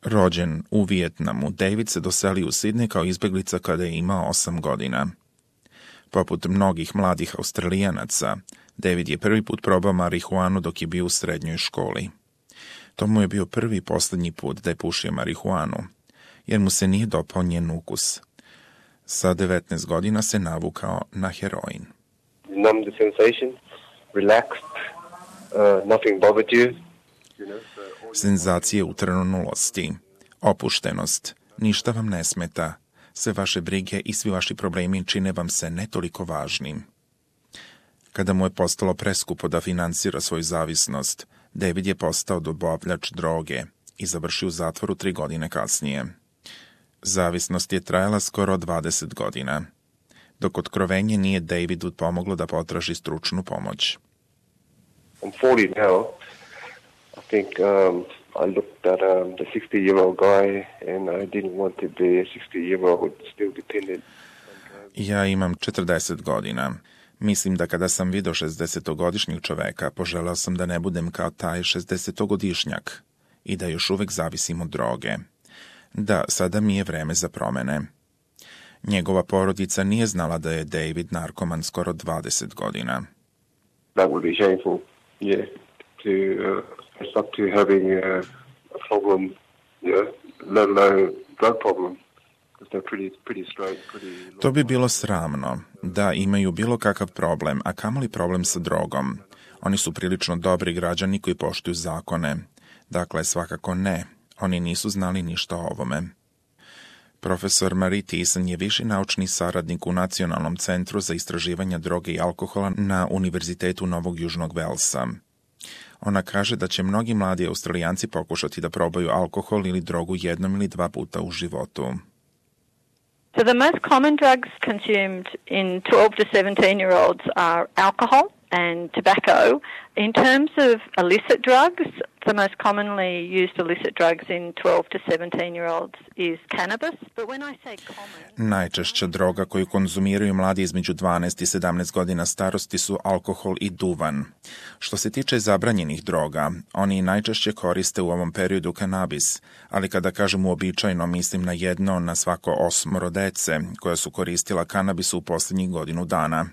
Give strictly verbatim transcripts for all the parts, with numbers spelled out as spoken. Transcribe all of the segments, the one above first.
Rođen u Vijetnamu, David se doselio u Sidney kao izbeglica kada je imao osam godina. Poput mnogih mladih Australijanaca, David je prvi put probao marihuanu dok je bio u srednjoj školi. To mu je bio prvi i posljednji put da je pušio marihuanu, jer mu se nije dopao njen ukus. Sa devetnaest godina se navukao na heroin. Numb the sensation, relaxed, uh, nothing bothered you. Senzacije utrnulosti, opuštenost, ništa vam ne smeta, sve vaše brige i svi vaši problemi čine vam se ne toliko važnim. Kada mu je postalo preskupo da finansira svoju zavisnost, David je postao dobavljač droge i završio u zatvoru tri godine kasnije. Zavisnost je trajala skoro dvadeset godina, dok otkrovenje nije Davidu pomoglo da potraži stručnu pomoć. I'm forty now. I think um, I looked at um, the sixty-year-old guy and I didn't want to be a sixty-year-old still dependent. Ja imam četrdeset godina. Mislim da kada sam vidio šezdesetogodišnjeg čoveka, poželeo sam da ne budem kao taj šezdesetogodišnjak i da još uvek zavisim od droge. Da, sada mi je vreme za promene. Njegova porodica nije znala da je David narkoman skoro dvadeset godina. That would be shameful, yeah, to uh, stop to having a, a problem, yeah, let alone drug problem. Pretty, pretty straight, pretty... To bi bilo sramno, da imaju bilo kakav problem, a kamoli problem sa drogom. Oni su prilično dobri građani koji poštuju zakone. Dakle, svakako ne. Oni nisu znali ništa o ovome. Profesor Marie Thiessen je viši naučni saradnik u Nacionalnom centru za istraživanje droge i alkohola na Univerzitetu Novog Južnog Velsa. Ona kaže da će mnogi mladi Australijanci pokušati da probaju alkohol ili drogu jednom ili dva puta u životu. So the most common drugs consumed in twelve to seventeen-year-olds are alcohol and tobacco. In terms of illicit drugs, the most commonly used illicit drugs in twelve to seventeen-year-olds is cannabis. But when I say common... Najčešća droga koju konzumiraju mladi između dvanaest i sedamnaest godina starosti su alkohol i duvan. Što se tiče zabranjenih droga, oni najčešće koriste u ovom periodu kanabis, ali kada kažem uobičajeno mislim na jedno na svako osmoro dece koja su koristila kanabis u posljednjih godinu dana.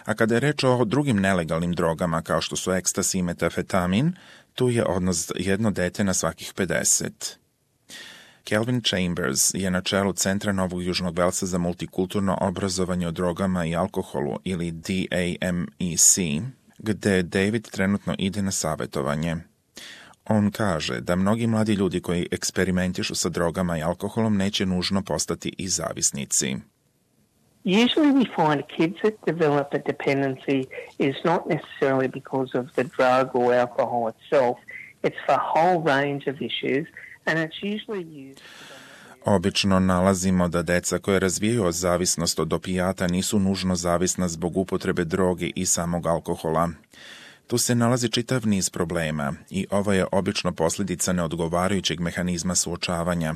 A kada je reč o drugim nelegalnim drogama kao što su ekstasi i metafetamin, tu je odnos jedno dete na svakih pedeset. Kelvin Chambers je na čelu Centra Novog Južnog Velsa za multikulturno obrazovanje o drogama i alkoholu ili D A M E C, gde David trenutno ide na savjetovanje. On kaže da mnogi mladi ljudi koji eksperimentišu sa drogama i alkoholom neće nužno postati i zavisnici. Usually we find kids that develop a dependency is not necessarily because of the drug or alcohol itself. It's for a whole range of issues and it's usually used... Obično nalazimo da deca koje razvijaju zavisnost od opijata nisu nužno zavisna zbog upotrebe droge i samog alkohola. Tu se nalazi čitav niz problema i ovo je obično posljedica neodgovarajućeg mehanizma suočavanja.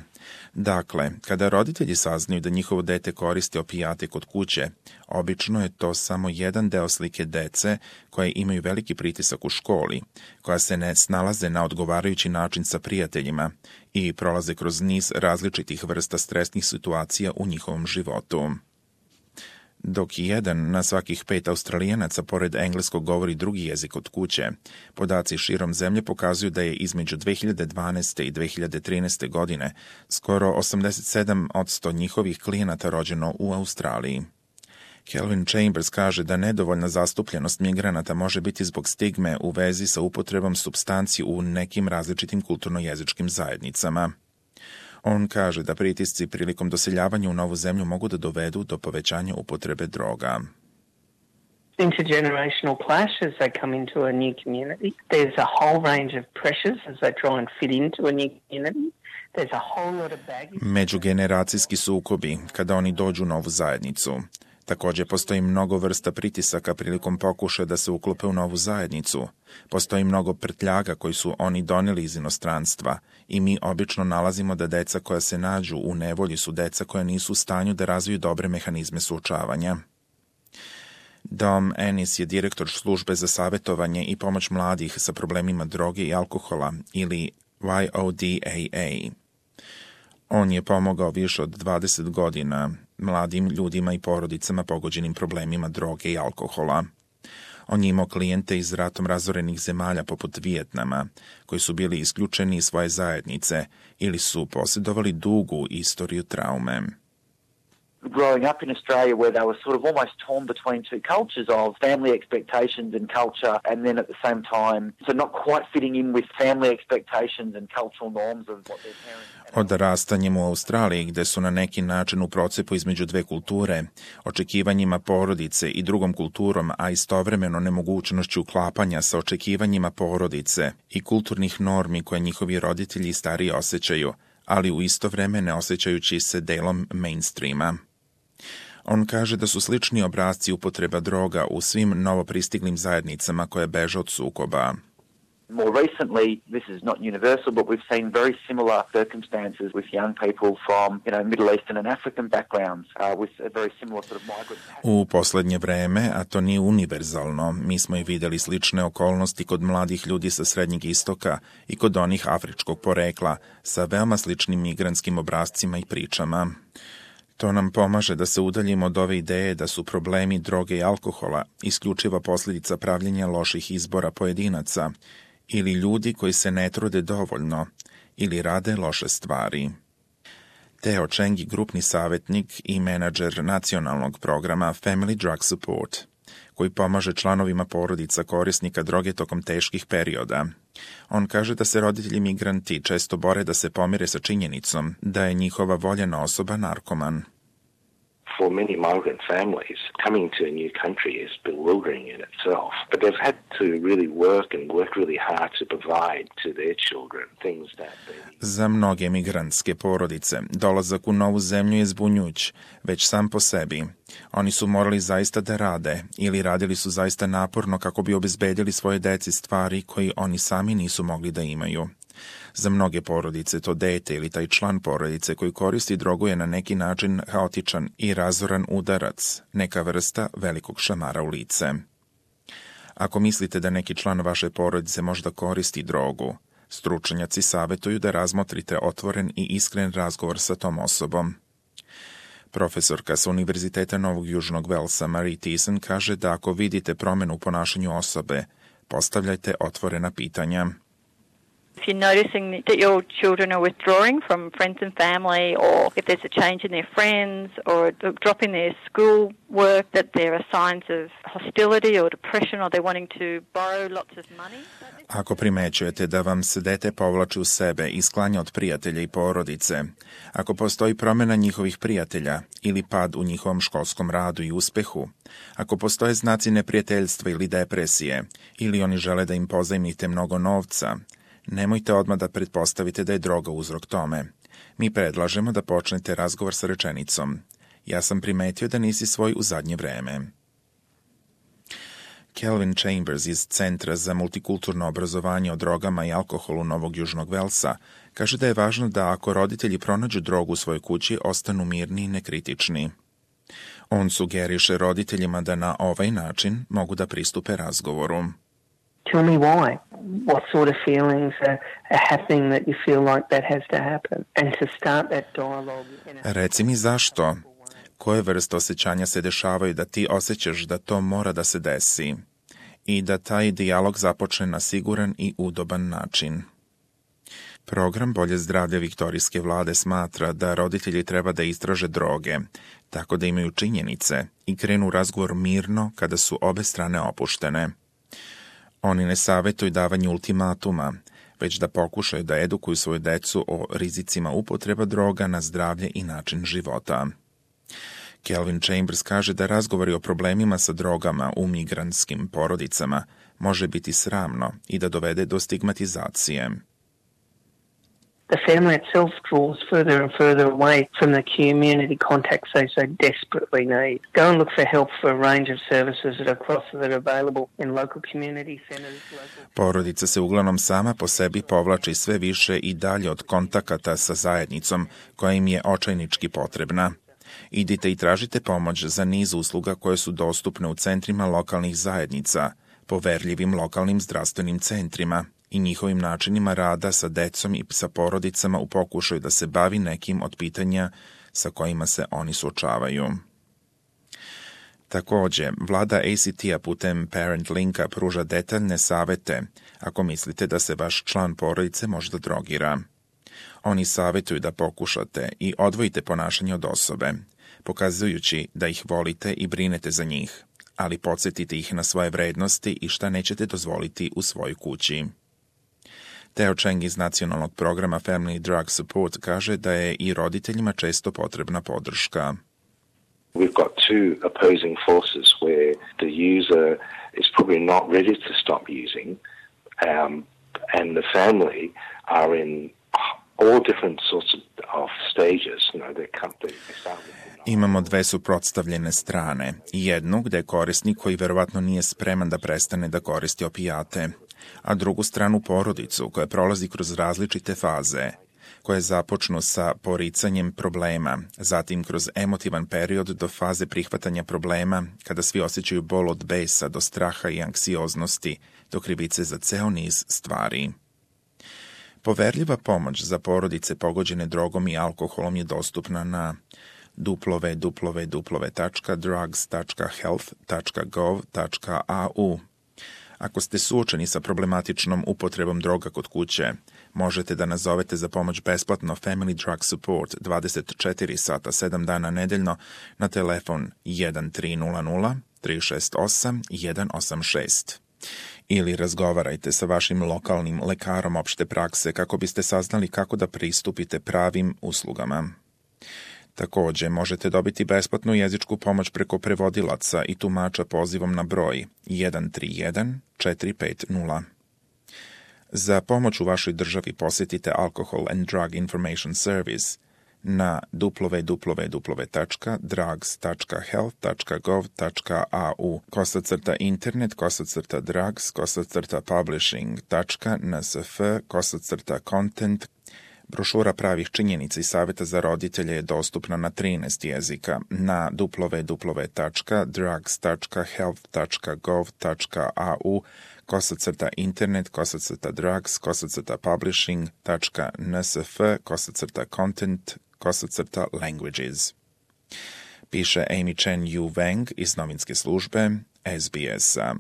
Dakle, kada roditelji saznaju da njihovo dete koristi opijate kod kuće, obično je to samo jedan deo slike dece koje imaju veliki pritisak u školi, koja se ne snalaze na odgovarajući način sa prijateljima i prolaze kroz niz različitih vrsta stresnih situacija u njihovom životu. Dok jedan na svakih pet Australijanaca pored engleskog govori drugi jezik od kuće, podaci širom zemlje pokazuju da je između dve hiljade dvanaeste i dve hiljade trinaeste godine skoro osamdeset sedam posto njihovih klijenata rođeno u Australiji. Kelvin Chambers kaže da nedovoljna zastupljenost migranata može biti zbog stigme u vezi sa upotrebom supstanci u nekim različitim kulturno-jezičkim zajednicama. On kaže da pritisci prilikom doseljavanja u novu zemlju mogu da dovedu do povećanja upotrebe droga. Intergenerational clash as they come into a new community. There's a whole range of pressures as they try and fit into a new community. There's a whole lot of baggage. Međugeneracijski sukobi kada oni dođu u novu zajednicu. Također postoji mnogo vrsta pritisaka prilikom pokušaja da se uklope u novu zajednicu. Postoji mnogo prtljaga koji su oni doneli iz inostranstva i mi obično nalazimo da deca koja se nađu u nevolji su deca koja nisu u stanju da razviju dobre mehanizme suočavanja. Dom Ennis je direktor službe za savjetovanje i pomoć mladih sa problemima droge i alkohola ili Y O D A A. On je pomogao više od dvadeset godina mladim ljudima i porodicama pogođenim problemima droge i alkohola. On je imao klijente iz ratom razorenih zemalja poput Vijetnama, koji su bili isključeni iz svoje zajednice ili su posjedovali dugu istoriju traume. Growing up in Australia where they were sort of almost torn between two cultures of family expectations and culture, and then at the same time, so not quite fitting in with family expectations and cultural norms of what their parents... Odrastanjem u Australiji, gde su na neki način u procepu između dve kulture, očekivanjima porodice i drugom kulturom, a istovremeno nemogućnošću uklapanja sa očekivanjima porodice i kulturnih normi koje njihovi roditelji i stariji osjećaju, ali u isto vreme ne osjećajući se delom mainstreama. On kaže da su slični obrasci upotreba droga u svim novopristiglim zajednicama koje beže od sukoba. More recently, this is not universal, but we've seen very similar circumstances with young people from, you know, Middle Eastern and African backgrounds, uh, with a very similar sort of migrant. U poslednje vreme, a to nije univerzalno, mi smo i videli slične okolnosti kod mladih ljudi sa Srednjeg istoka i kod onih afričkog porekla, sa veoma sličnim migrantskim obrascima i pričama. To nam pomaže da se udaljimo od ove ideje da su problemi droge i alkohola isključiva posljedica pravljenja loših izbora pojedinaca ili ljudi koji se ne trude dovoljno ili rade loše stvari. Theo Cheng je grupni savjetnik i menadžer nacionalnog programa Family Drug Support, koji pomaže članovima porodica korisnika droge tokom teških perioda. On kaže da se roditelji migranti često bore da se pomire sa činjenicom da je njihova voljena osoba narkoman. For many migrant families, coming to a new country is bewildering in itself. But they've had to really work and work really hard to provide to their children things that they... Za mnoge migrantske porodice, dolazak u novu zemlju je zbunjujuć, već sam po sebi. Oni su morali zaista da rade ili radili su zaista naporno kako bi obezbedili svoje deci stvari koji oni sami nisu mogli da imaju. Za mnoge porodice to dete ili taj član porodice koji koristi drogu je na neki način haotičan i razoran udarac, neka vrsta velikog šamara u lice. Ako mislite da neki član vaše porodice možda koristi drogu, stručnjaci savjetuju da razmotrite otvoren i iskren razgovor sa tom osobom. Profesorka sa Univerziteta Novog Južnog Velsa Marie Thiessen kaže da ako vidite promjenu u ponašanju osobe, postavljajte otvorena pitanja. If you're noticing that your children are withdrawing from friends and family, or if there's a change in their friends or a drop in their school work, that there are signs of hostility or depression, or they're wanting to borrow lots of money. Ako primećujete da vam se dete povlači u sebe i sklanja od prijatelja i porodice, ako postoji promjena njihovih prijatelja ili pad u njihovom školskom radu i uspehu, ako postoje znaci neprijateljstva ili depresije, ili oni žele da im pozajmite mnogo novca, nemojte odmah da pretpostavite da je droga uzrok tome. Mi predlažemo da počnete razgovor sa rečenicom: ja sam primetio da nisi svoj u zadnje vreme. Kelvin Chambers iz Centra za multikulturno obrazovanje o drogama i alkoholu Novog Južnog Velsa kaže da je važno da ako roditelji pronađu drogu u svojoj kući, ostanu mirni i nekritični. On sugeriše roditeljima da na ovaj način mogu da pristupe razgovoru. Tell me why. What sort of feelings are, are happening that you feel like that has to happen? And to start that dialogue. Reci mi zašto. Koje vrste osjećanja se dešavaju da ti osjećaš da to mora da se desi i da taj dijalog započne na siguran i udoban način. Program Bolje zdravlje viktorijske vlade smatra da roditelji treba da istraže droge, tako da imaju činjenice i krenu razgovor mirno kada su obe strane opuštene. Oni ne savjetuju davanje ultimatuma, već da pokušaju da edukuju svoju decu o rizicima upotreba droga na zdravlje i način života. Kelvin Chambers kaže da razgovori o problemima sa drogama u migrantskim porodicama može biti sramno i da dovede do stigmatizacije. The family itself draws further and further away from the community contacts they so desperately need. Go and look for help for a range of services that are across that are available in local community centers. Local... Porodica se uglavnom sama po sebi povlači sve više i dalje od kontakata sa zajednicom koja im je očajnički potrebna. Idite i tražite pomoć za niz usluga koje su dostupne u centrima lokalnih zajednica, poverljivim lokalnim zdravstvenim centrima i njihovim načinima rada sa decom i sa porodicama u pokušaju da se bavi nekim od pitanja sa kojima se oni suočavaju. Također, vlada A C T-a putem Parent Linka pruža detaljne savete ako mislite da se vaš član porodice možda drogira. Oni savjetuju da pokušate i odvojite ponašanje od osobe, pokazujući da ih volite i brinete za njih, ali podsjetite ih na svoje vrednosti i šta nećete dozvoliti u svojoj kući. Theo Cheng iz nacionalnog programa Family Drug Support kaže da je i roditeljima često potrebna podrška. We've got two opposing forces where the user is probably not ready to stop using, um, and the family are in all different sorts of, of stages. You know, they come, they start with Imamo dve suprotstavljene strane. Jednu gde je korisnik koji verovatno nije spreman da prestane da koristi opijate, a drugu stranu porodicu koja prolazi kroz različite faze, koje započnu sa poricanjem problema, zatim kroz emotivan period do faze prihvatanja problema, kada svi osjećaju bol od besa do straha i anksioznosti, do krivice za ceo niz stvari. Poverljiva pomoć za porodice pogođene drogom i alkoholom je dostupna na w w w tačka drugs tačka health tačka gov tačka a u. Ako ste suočeni sa problematičnom upotrebom droga kod kuće, možete da nazovete za pomoć besplatno Family Drug Support dvadeset četiri sata sedam dana nedeljno na telefon jedan tri nula nula tri šest osam jedan osam šest. Ili razgovarajte sa vašim lokalnim lekarom opšte prakse kako biste saznali kako da pristupite pravim uslugama. Također, možete dobiti besplatnu jezičku pomoć preko prevodilaca i tumača pozivom na broj jedan tri jedan četiri pet nula. Za pomoć u vašoj državi posjetite Alcohol and Drug Information Service na w w w tačka drugs tačka health tačka gov tačka a u kosacrta internet kosacrta drugs kosacrta publishing tačka n s f kosacrta content. Brošura pravih činjenica i savjeta za roditelje je dostupna na trinaest jezika na w w w tačka drugs tačka health tačka gov tačka a u kosacrta internet kosacrta drugs kosacrta publishing tačka n s f kosacrta content kosacrta languages. Piše Amy Chen Yu Wang iz novinske službe S B S-a.